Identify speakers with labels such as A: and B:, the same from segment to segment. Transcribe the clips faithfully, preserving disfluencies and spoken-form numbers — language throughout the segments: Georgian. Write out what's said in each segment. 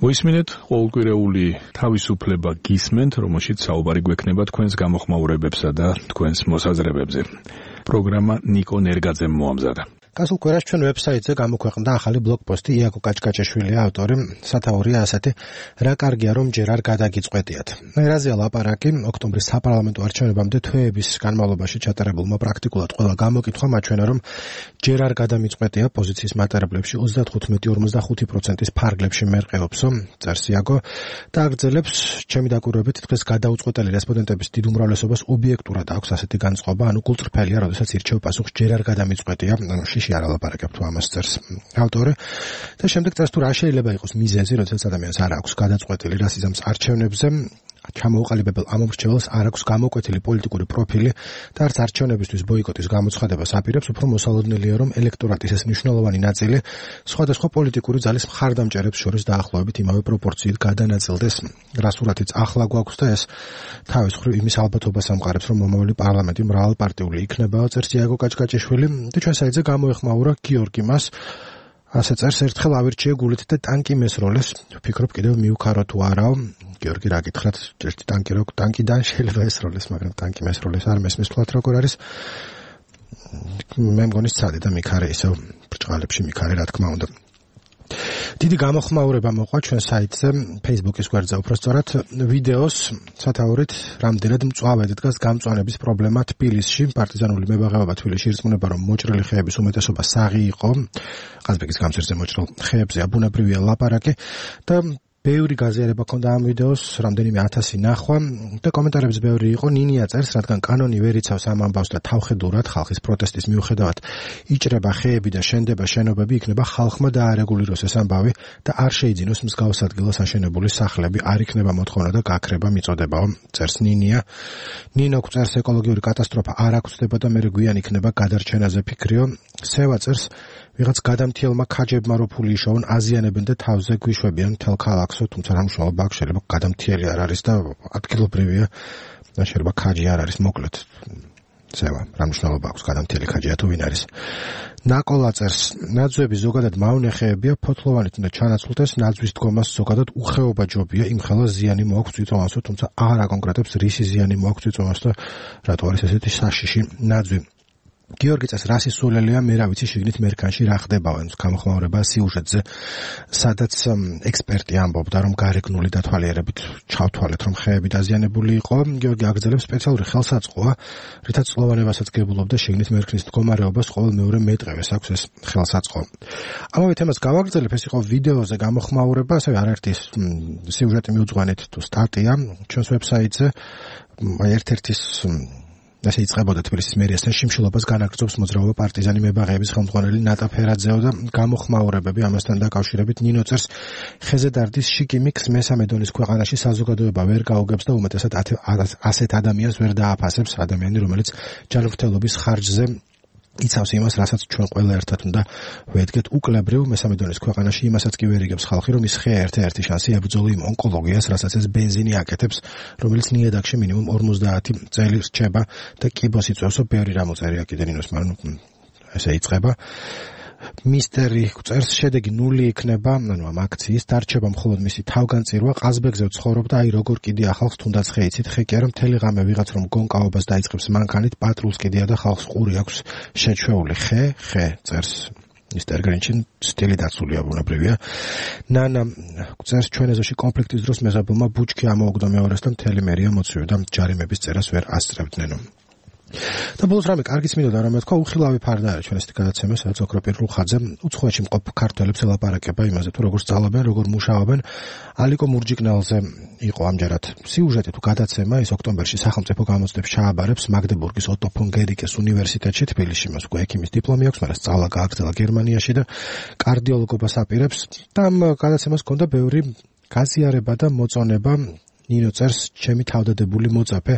A: მოისმინეთ ყოველკვირეული თავისუფლება გისმენთ, რომელშიც საუბარი გვექნება თქვენს გამოხმაურებებსა და თქვენს მოსაზრებებზე. პროგრამა ნიკო ნერგაძემ მოამზადა.
B: გასულ კვირაში ჩვენ ვებსაიტზე გამოქვეყნდა ახალი ბლოგპოსტი იაკო კაჭკაჭეშვილი ავტორი, სათაურია ასეთი, რა კარგია რომ ჯერ არ გადაგიწყვეტიათ. ერაზეა ლაპარაკი ოქტომბრის საპარლამენტო არჩევნებამდე თვეების განმავლობაში ჩატარებულმა პრაქტიკულად ყველა გამოკითხვა მაჩვენა რომ ჯერ არ გადამიწყვეტია პოზიციის მატარებლებში ოცდათხუთმეტი ორმოცდახუთი პროცენტის ფარგლებში მერყეობსო, წერს იაკო და აგრძელებს, ჩემი დაკვირვებით დღეს გადაუწყვეტელი რესპონდენტების დიდ უმრავლესობას ობიექტურად აქვს ასეთი განწყობა, ანუ გულწრფელია, როდესაც ირჩევ პასუხს ჯერ არ გადამიწყვეტია, ანუ შიში არ ალაპარაკებ თუ ამას წერს ავტორი და შემდეგ წერს თუ რა შეიძლება იყოს მიზეზი, როდესაც ადამიანს არ აქვს გადაწყვეტილი რას იზამს არჩევნებზე, ჩამოუყალიბებელ ამომრჩეველს არ აქვს გამოკვეთილი პოლიტიკური პროფილი და არც არჩევნებისთვის ბოიკოტის გამოცხადებას აპირებს, უფრო მოსალოდნელია რომ ელექტორატის ეს მნიშვნელოვანი ნაწილი სხვადასხვა პოლიტიკური ძალის მხარდამჭერებს შორის დაახლოებით იმავე პროპორციით გადანაწილდეს, რა სურათიც ახლა გვაქვს და ეს თავის მხრივ იმის ალბათობას ამყარებს, რომ მომავალი პარლამენტი მრავალპარტიული იქნება, წერს იაკო კაჭკაჭეშვილი და ჩვენ საიტზე გამოეხმაურა გიორგი მას ასე წერს, ერთხელ ავირჩიე გულით და ტანკი მესროლეს, ვფიქრობ კიდევ მივქარო თუ არაო. გიორგი რა გითხრათ, ერთი ტანკი რო ტანკიდან შეიძლება ესროლეს, მაგრამ ტანკი მესროლეს არ მესმის თვალთ როგორ არის. მე მგონი სცადე და მიქარე ისევ ბრჭყალებში მიქარე, რა თქმა უნდა. დიდი გამოხმაურება მოყვა ჩვენ საიტზე, Facebook-ის გვერდზე უბრალოდ ვიდეოს სათაურით რამდენად მწვავედ დგას გამწვანების პრობლემა თბილისში, პარტიზანული მებაღეობა თბილისში ირწმუნება რომ მოჭრილი ხეების უმეტესობა საღი იყო, ყაზბეგის გამზირზე მოჭრილ ხეებზე აბუნებრივია ლაპარაკი და ბევრი გაზიარება ქონდა ამ ვიდეოს, რამდენიმე ათასი ნახვა და კომენტარებს ბევრი იყო. ნინია წერს, რადგან კანონი ვერ იცავს ამ ამბავს და თავხედურად ხალხის პროტესტის მიუხედავად იჭრება ხეები და შენდება შენობები, იქნება ხალხმა დაარეგულიროს ეს ამბავი და არ შეიძინოს მსგავს ადგილას აშენებული სახლები, არ იქნება მოთხოვნა და გაქრება მიწოდებაო, წერს ნინია. ნინო წერს, ეკოლოგიური კატასტროფა არ აღწდება და მერე გვიან იქნება გადარჩენაზე ფიქრიო. სევა წერს, ვიღაც გადამთიელმა ქაჯებმა რო ფული იშოვონ, აზიანებენ და თავზე გვიშვებიან მთელ ქალაქსო, თუმცა რა მნიშვნელობა აქვს, შეიძლება გადამთიელი არ არის და ადგილობრივია, შეიძლება ქაჯი არ არის, მოკლედ. სევა, რა მნიშვნელობა აქვს გადამთიელი ქაჯია თუ ვინ არის. ნაკოლა წერს, ნაძვები ზოგადად მავნეხეებია, ფოთლოვანით უნდა ჩანაცვლდეს, ნაძვის დგომას ზოგადად უხეობა ჯობია, იმ ხელას ზიანი მოაქვს წვიწოვანსო, თუმცა არ აკონკრეტებს რისი ზიანი მოაქვს წვიწოვანს და რატო არის ესეთი საშიში ნაძვი. გიორგი წერს, რა სისულელია, მე რა ვიცი შიგნით მერქანში რა ხდებაო, გამოხმაურება სიუჟეტზე, სადაც ექსპერტი ამბობდა, რომ გარეგნული დათვალიერებით ჩავთვალეთ, რომ ხეები დაზიანებული იყო. გიორგი აგრძელებს, სპეციალური ხელსაწყოა, რითაც წლოვანებასაც გებულობდა შიგნით მერქნის მდგომარეობას, ყოველ მეორე მეტყევეს აქვს ეს ხელსაწყო. ამავე თემას გავაგრძელებ, ეს იყო ვიდეოზე გამოხმაურება, ასევე არაერთი სიუჟეტი მიუძღვანით თუ სტატია ჩვენს ვებსაიტზე, ერთ-ერთის ასე იწყებოდა თბილისის მერიასთან შიმშილობას განაგრძობს მოძრაობა პარტიზანი მებაღეების ხელმძღვანელი ნატა ფერაძეო და გამოხმაურებები ამასთან დაკავშირებით ნინო წერს, ხეზე დარდის შიკიმიქს მესამე დონის ქვეყანაში საზოგადოება ვერ გაუგებს და უმეტესად ასეთ ადამიანს ვერ დააფასებს, ადამიანი რომელიც ჯანმრთელობის ხარჯზე იცავს იმას, რასაც ჩვენ ყველა ერთად უნდა ვედგეთ უკლებრივ მესამე დონის ქვეყანაში, იმასაც კი ვერ იგებს ხალხი, რომ ის ხეა ერთ-ერთი შანსი ებრძოლო იმ ონკოლოგიას, რასაც ეს ბენზინი აკეთებს, რომელიც ნიადაგში მინიმუმ ორმოცდაათი წელი რჩება და კიბოს იწვევსო, ბევრი რამ უწერია კიდე ნინოს, მაგრამ ესე იწყება. მისტერი წერს, შედეგი ნული იქნება, ანუ ამ აქციის დარჩება მხოლოდ მისი თავგანწირვა, ყაზბეგზე ვცხოვრობ და აი როგორ კიდე ახალს თუნდაც ხე იცით, ხე კი არა მთელი ღამე ვიღაც რომ გონკაობას დაიწყებს მანქანით, პატრულს კიდეა და ხალხს ყური აქვს შეჩვეული. ხე, ხე წერს მისტერ გრინჩინ, სტილი დაცულია ბუნებრივია. ნანა წერს, ჩვენ ეზოში კონფლიქტის დროს მეზობელმა ბუჩქი ამოუგდო მეორეს და მთელი მერია მოცივდა, ჯარიმების წერას ვერ ასწრებდნენ. და ბოლოს რამე კარგიც მინდოდა რომ მეთქვა, უხილავი ფარდა არის ჩვენ ესეთი გადაცემა, სადაც ოქროპირ რუხაძე უცხოეთში მყოფ ქართველებს ელაპარაკება იმაზე თუ როგორ სწავლობენ, როგორ მუშაობენ. ალიკო მურჯიკნალზე იყო ამჯერად სიუჟეტი თუ გადაცემა, ის ოქტომბერში სახელმწიფო გამოცდებს ჩააბარებს მაგდებურგის ოტო ფონ გერიკეს უნივერსიტეტში თბილისში, მას უკვე ექიმის დიპლომი აქვს, მაგრამ სწავლა გააგრძელა გერმანიაში და კარდიოლოგობას აპირებს და ამ გადაცემას ჰქონდა ბევრი გაზიარება და მოწონება. ნინო წერს, ჩემი თავდადებული მოწაფე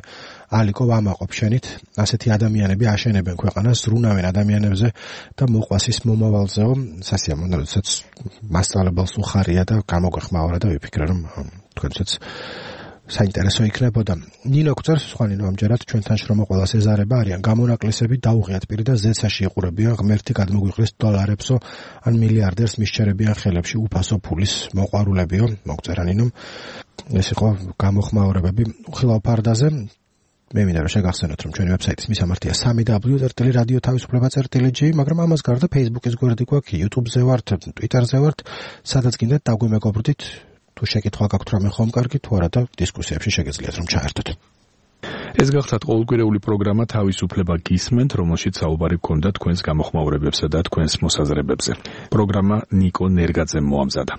B: ალიკო ვამაყობ შენით, ასეთი ადამიანები აშენებენ ქვეყანას, ზრუნავენ ადამიანებზე და მოყვას ის მომავალზეო, სასიამოვნო, როდესაც მასწავლებელს უხარია და გამოგვეხმაურა და ვიფიქრე, რომ თქვენცაც საინტერესო იქნებოდა. ნინო გწერს, სხვა ნინო ამჯერად ჩვენთან შრომაყოლას ეზარება არიან გამონაკლისები დაუღიათ პირი და ზეცაში იყურებიან ღმერთი გადმოგვიყრის დოლარებსო ან მილიარდერს მისჩერებიან ხელებში უფასო ფულის მოყვარულებიო, მოგწერა ნინომ. ეს იყო გამოხმაურებები უხილავ ფარდაზე. მე მინდა რომ შეგახსენოთ რომ ჩვენი ვებსაიტის მისამართია სამი დაბლიუ წერტილი რადიო თავისუფლება წერტილი ჯი, მაგრამ ამას გარდა Facebook-ის გვერდი გვაქვს, YouTube-ზე ვართ, Twitter-ზე ვართ, სადაც გინდათ დაგვიმეგობრდით. თუ შეკითხვა გაქვთ რამე ხომ კარგი, თუ არა და დისკუსიებში შეგეძლიათ რომ ჩაერთოთ.
A: ეს გახლავთ ყოველკვირეული პროგრამა თავისუფლება გისმენთ, რომელშიც საუბარი გქონდა თქვენს გამოხმაურებებსა და თქვენს მოსაზრებებზე. პროგრამა ნიკო ნერგაძემ მოამზადა.